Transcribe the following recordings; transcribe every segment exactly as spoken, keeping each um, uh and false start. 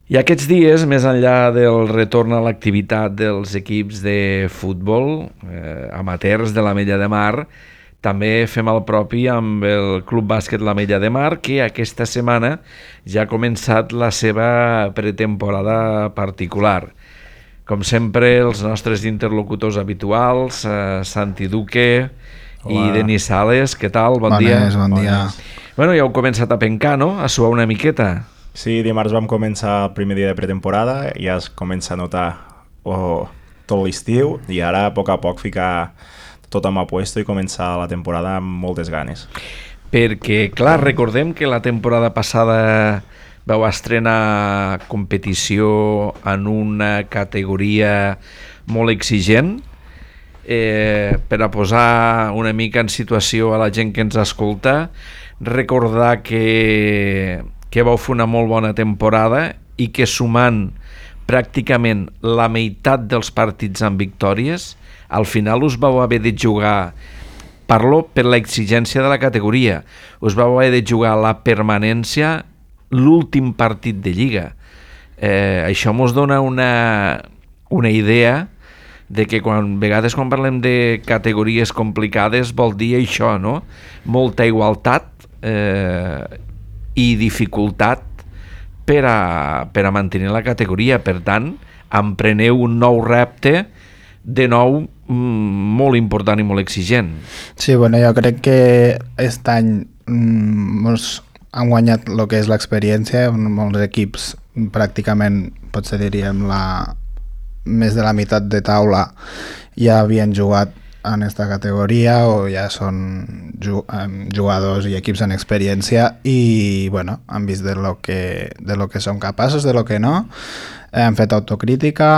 I aquests dies, més enllà del retorn a l'activitat dels equips de futbol eh, amateurs de l'Ametlla de Mar, també fem el propi amb el Club Bàsquet l'Ametlla de Mar, que aquesta setmana ja ha començat la seva pretemporada particular. Com sempre, els nostres interlocutors habituals, eh, Santi Duque Hola. I Denis Sales, què tal? Bon Bones, dia. Bon dia. Bueno, ja heu començat a pencar, no? A suar una miqueta. Sí, dimarts vam començar el primer dia de pretemporada, ja es comença a notar oh, tot l'estiu i ara a poc a poc ficar tot amb apuesto i començar la temporada amb moltes ganes. Perquè, clar, recordem que la temporada passada vau estrenar competició en una categoria molt exigent. Eh, per a posar una mica en situació a la gent que ens escolta, recordar que, que vau fer una molt bona temporada i que sumant pràcticament la meitat dels partits amb victòries, al final us vau haver de jugar, parlo per l'exigència de la categoria, us vau haver de jugar la permanència l'últim partit de Lliga. Eh, això mos dona una, una idea de que quan vegades quan parlem de categories complicades vol dir això, no? Molta igualtat eh, i dificultat per a, per a mantenir la categoria. Per tant, empreneu un nou repte de nou molt important i molt exigent. Sí, bueno, jo crec que aquest any mm, molts han guanyat el que és l'experiència, molts equips pràcticament, potser diríem, la, més de la meitat de taula ja havien jugat en aquesta categoria o ja són jugadors i equips en experiència i bueno, han vist de lo que, de lo que són capaços, de lo que no, han fet autocrítica,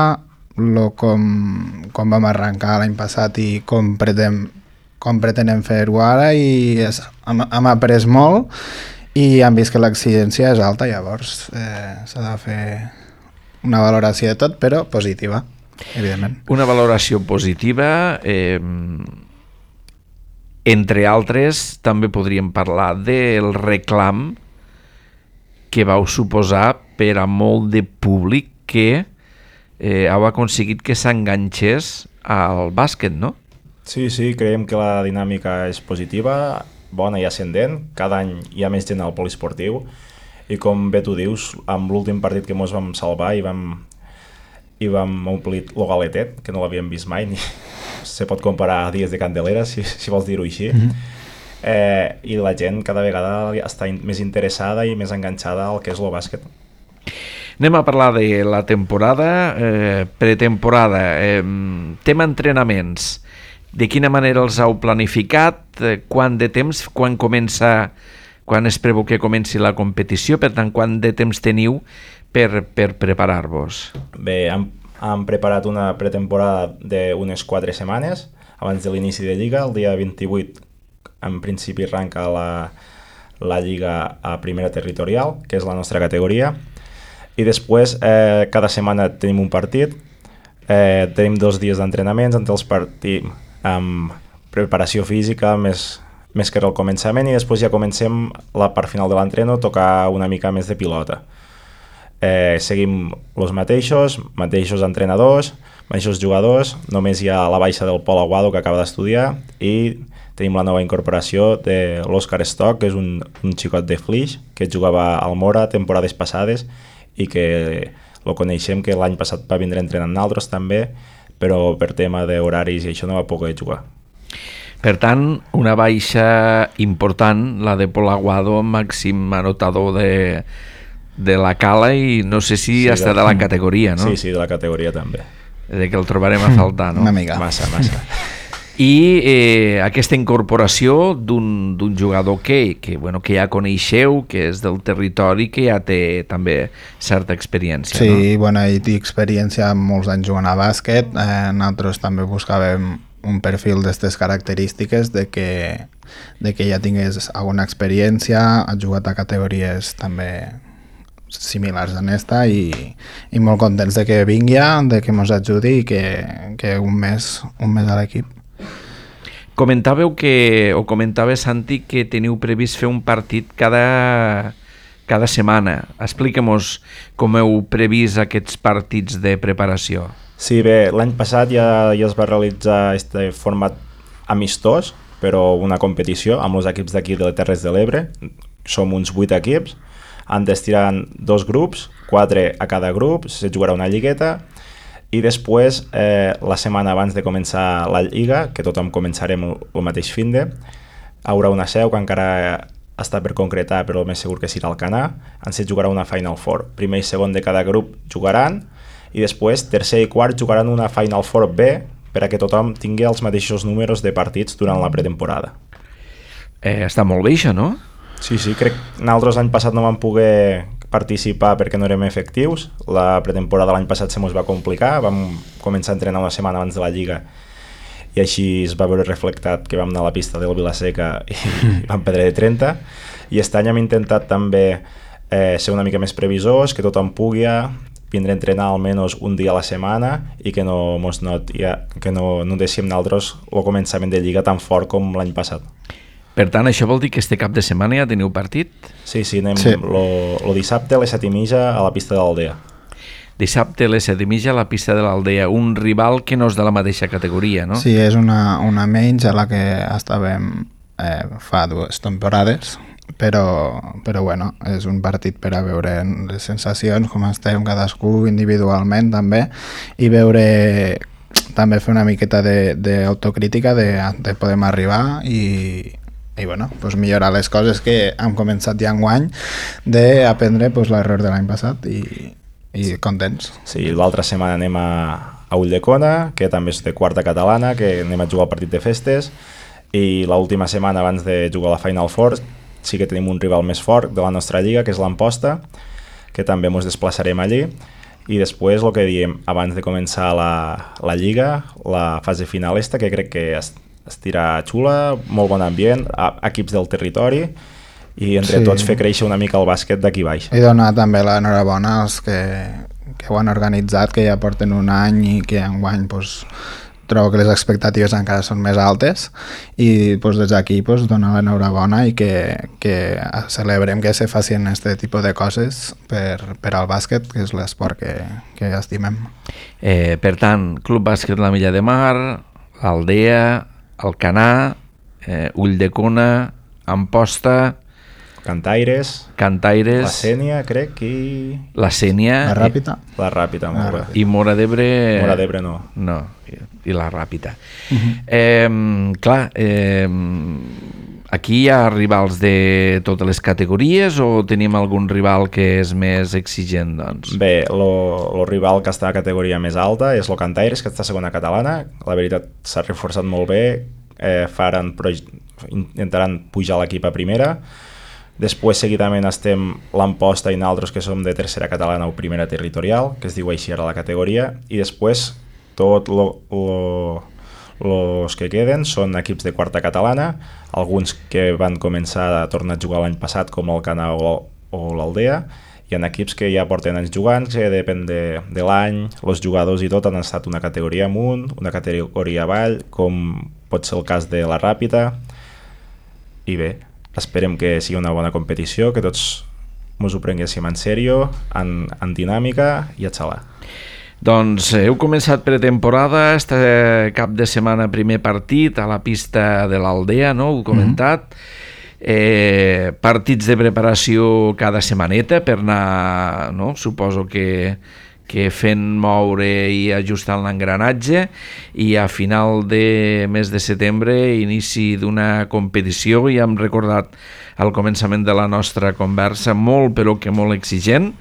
lo com, com vam arrencar l'any passat i com pretenem, com pretenem fer-ho ara i és, hem, hem après molt i han vist que l'exigència és alta, llavors eh, s'ha de fer una valoració de tot, però positiva, evidentment. Una valoració positiva, eh, entre altres, també podríem parlar del reclam que vau suposar per a molt de públic que eh, heu aconseguit que s'enganxés al bàsquet, no? Sí, sí, creiem que la dinàmica és positiva, bona i ascendent, cada any hi ha més gent al poliesportiu i com bé tu dius, amb l'últim partit que ens vam salvar i vam, i vam omplir el galetet, que no l'havíem vist mai, ni se pot comparar a dies de Candelera, si, si vols dir-ho així, mm-hmm. eh, i la gent cada vegada està in, més interessada i més enganxada al que és el bàsquet. Anem a parlar de la temporada, eh, pretemporada, eh, tema entrenaments. De quina manera els heu planificat? Eh, quant de temps? Quan comença... Quan es preveu que comenci la competició? Per tant, quant de temps teniu per, per preparar-vos? Bé, hem, hem preparat una pretemporada d'unes quatre setmanes abans de l'inici de Lliga. El dia vint-i-vuit, en principi, arranca la, la Lliga a primera territorial, que és la nostra categoria. I després, eh, cada setmana tenim un partit. Eh, tenim dos dies d'entrenaments entre els partits amb preparació física, més... més que al començament, i després ja comencem la part final de l'entreno, tocar una mica més de pilota. Eh, seguim els mateixos, mateixos entrenadors, mateixos jugadors, només hi ha la baixa del Pol Aguado que acaba d'estudiar i tenim la nova incorporació de l'Òscar Stock, que és un, un xicot de Flix, que jugava al Mora temporades passades i que lo coneixem, que l'any passat va vindre entrenant nosaltres també, però per tema d'horaris i això no va poder jugar. Per tant, una baixa important, la de Pol Aguado, màxim anotador de, de la Cala i no sé si sí, hasta de, de la categoria, no? Sí, sí, de la categoria també. De que el trobarem a faltar, no? Una mica. Massa, massa. I eh, aquesta incorporació d'un d'un jugador que, que, bueno, que ja coneixeu, que és del territori, que ja té també certa experiència, sí, no? Sí, bueno, ell té experiència molts anys jugant a bàsquet, eh, nosaltres també buscàvem un perfil d'aquestes característiques de que, de que ja tingués alguna experiència, ha jugat a categories també similars a esta i, i molt contents de que vingui, de que ens ajudi i que, que un mes, un mes a l'equip. Comentàveu que, o comentava Santi, que teniu previst fer un partit cada, cada setmana. Explica'm-nos com heu previst aquests partits de preparació. Sí, bé, l'any passat ja, ja es va realitzar este format amistós, però una competició amb els equips d'aquí de les Terres de l'Ebre. Som uns vuit equips, han d'estirar dos grups, quatre a cada grup, se jugarà una lligueta, i després, eh, la setmana abans de començar la lliga, que tothom començarem el, el mateix finde, hi haurà una seu que encara està per concretar, però el més segur que serà el Canà, en se jugarà una Final Four. Primer i segon de cada grup jugaran, i després tercer i quart jugaran una Final Four B, per a que tothom tingui els mateixos números de partits durant la pretemporada. Eh, està molt bé això, no? Sí, sí, crec que nosaltres l'any passat no vam poder participar perquè no érem efectius. La pretemporada l'any passat se mos va complicar, vam començar a entrenar una setmana abans de la lliga i així es va veure reflectat que vam anar a la pista del Vilaseca i vam perdre de trenta. I aquest any hem intentat també eh, ser una mica més previsors, que tothom pugui vindre a entrenar almenys un dia a la setmana i que no mos noti, que no, no deixem nosaltres el començament de lliga tan fort com l'any passat. Per tant, això vol dir que este cap de setmana ja teniu partit? Sí, sí, anem Sí. lo, lo dissabte a les set i mitja a la pista de l'Aldea. Dissabte a les set i mitja a la pista de l'Aldea, un rival que no és de la mateixa categoria, no? Sí, és una, una menys a la que estàvem eh, fa dues temporades, però, però bueno, és un partit per a veure les sensacions, com estem cadascú individualment també, i veure també fer una miqueta d'autocrítica de, de, de podem arribar i, i bueno, pues millorar les coses que hem començat ja enguany, d'aprendre pues, l'error de l'any passat i, i contents. Sí, l'altra setmana anem a, a Ulldecona, que també és de quarta catalana, que anem a jugar al partit de festes, i l'última setmana abans de jugar a la Final Four sí que tenim un rival més fort de la nostra lliga, que és l'Amposta, que també ens desplaçarem allí, i després el que diem, abans de començar la, la lliga, la fase final esta, que crec que es, estirà xula, molt bon ambient, a, equips del territori, i entre Sí. tots fer créixer una mica el bàsquet d'aquí baix. I donar també l'enhorabona als que, que ho han organitzat, que ja porten un any i que enguany pues, trobo que les expectatives encara són més altes i pues, des d'aquí pues, donar l'enhorabona i que, que celebrem que se facin aquest tipus de coses per, per al bàsquet, que és l'esport que, que estimem. Eh, per tant, Club Bàsquet La Milla de Mar, Aldea, Alcanar, eh, Ulldecona, Amposta, Cantaires, Cantaires, la Sènia, crec, i la Sènia La Ràpita? la Ràpita, molt bé. i Mora d'Ebre... Mora d'Ebre no. No, i, i la Ràpita. Uh-huh. eh, clar, eh, aquí hi ha rivals de totes les categories o tenim algun rival que és més exigent, doncs? Bé, el rival que està a categoria més alta és el Cantaires, que està a segona catalana. La veritat s'ha reforçat molt bé, eh, faran, intentaran pujar l'equip a primera. Després, seguidament, estem l'Amposta i nosaltres, que som de tercera catalana o primera territorial, que es diu així ara la categoria, i després tots els que queden són equips de quarta catalana, alguns que van començar a tornar a jugar l'any passat, com el Canà o, o l'Aldea, i en equips que ja porten anys jugant, que depèn de, de l'any, els jugadors i tot han estat una categoria amunt, una categoria avall, com pot ser el cas de la Ràpita, i bé, esperem que sigui una bona competició, que tots ens ho prenguéssim en sèrio, en, en dinàmica i a xalar. Doncs heu començat pretemporada, este cap de setmana primer partit a la pista de l'Aldea, no? Ho he comentat. Mm-hmm. eh, partits de preparació cada setmaneta per anar, no? Suposo que, que fent moure i ajustant l'engranatge, i a final de mes de setembre inici d'una competició. Ja hem recordat al començament de la nostra conversa, molt però que molt exigent.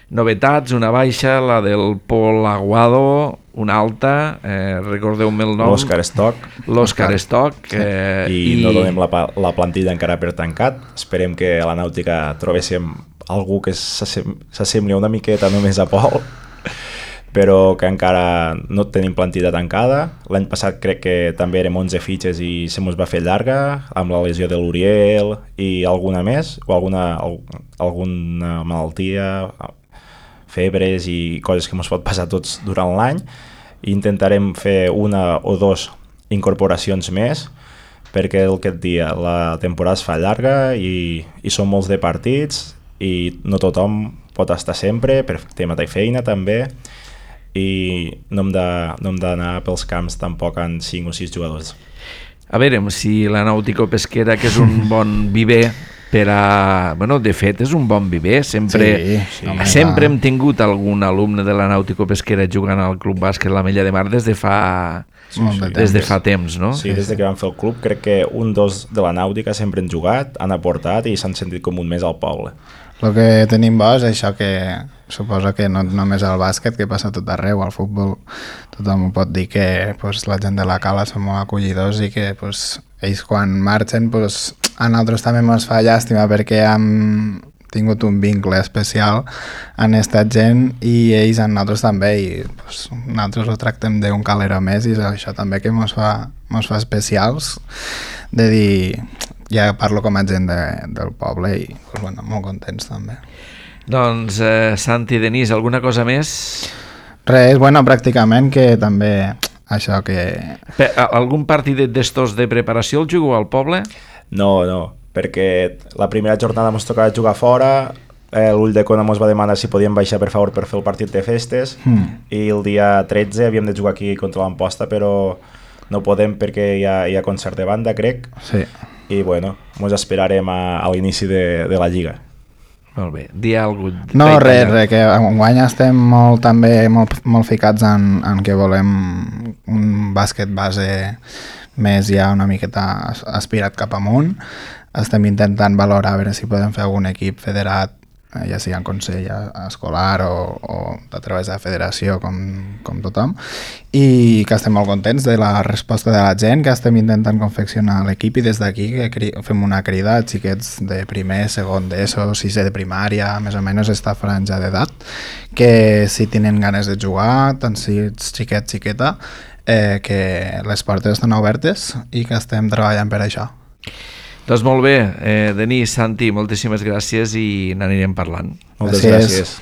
Novetats, una baixa, la del Pol Aguado, una alta, eh, recordeu-me el nom. L'Òscar Stock. L'Òscar Stock. Eh, I, I no donem la, la plantilla encara per tancat. Esperem que a la Nàutica trobéssim algú que s'assembli una miqueta només a Pol, però que encara no tenim plantilla tancada. L'any passat crec que també érem onze fitxes i se mos va fer llarga, amb la lesió de l'Uriel i alguna més, o alguna, alguna malaltia, febres i coses que ens pot passar tots durant l'any. Intentarem fer una o dos incorporacions més, perquè el que et dia, la temporada es fa llarga i, i són molts de partits i no tothom pot estar sempre, per tema de feina també, i no hem de- no hem d'anar pels camps tampoc amb cinc o sis jugadors. A veure, si la Nàutico Pesquera, que és un bon viver per a... Bueno, de fet, és un bon viver. Sempre, Sí, sí, home, sempre clar. hem tingut algun alumne de la Nàutico Pesquera jugant al Club Bàsquet La Mella de Mar des de fa, Molt de des de temps. fa temps, no? Sí, des de que vam fer el club, crec que un dos de la Nàutica sempre han jugat, han aportat i s'han sentit com un més al poble. El que tenim bo és això, que suposo que no només al bàsquet, que passa tot arreu, al futbol tothom ho pot dir, que pues, la gent de la cala són molt acollidors i que pues, ells quan marxen pues, a nosaltres també ens fa llàstima perquè hem tingut un vincle especial en estat gent i ells en nosaltres també i pues, nosaltres ho tractem d'un calero més i és això també que ens fa, mos fa especials de dir, ja parlo com a gent de, del poble i pues, bueno, molt contents també. Doncs, eh, Santi, Denis, alguna cosa més? Res, bueno, pràcticament que també això que... Pe- a- Algun partidet d'estos de preparació el jugo al poble? No, no, perquè la primera jornada ens tocava jugar fora, eh, l'Ull de Cona ens va demanar si podíem baixar per favor per fer el partit de festes Hmm. i el dia tretze havíem de jugar aquí contra l'Amposta, però no podem perquè hi ha, hi ha concert de banda, crec, Sí. i bueno, ens esperarem a, a l'inici de, de la Lliga. Molt bé, di algú. No, res, res, que enguany estem molt, també molt, molt ficats en, en que volem un bàsquet base més ja una miqueta as- aspirat cap amunt. Estem intentant valorar a veure si podem fer algun equip federat, eh, ja sigui en consell escolar o, o a través de la federació, com, com tothom, i que estem molt contents de la resposta de la gent, que estem intentant confeccionar l'equip i des d'aquí que cri fem una crida als xiquets de primer, segon d'ESO, sisè de primària, més o menys esta franja d'edat, que si tenen ganes de jugar, tant si ets xiquet, xiqueta, eh, que les portes estan obertes i que estem treballant per això. Doncs molt bé, eh, Denis, Santi, moltíssimes gràcies i n'anirem parlant. Moltes Gràcies. gràcies.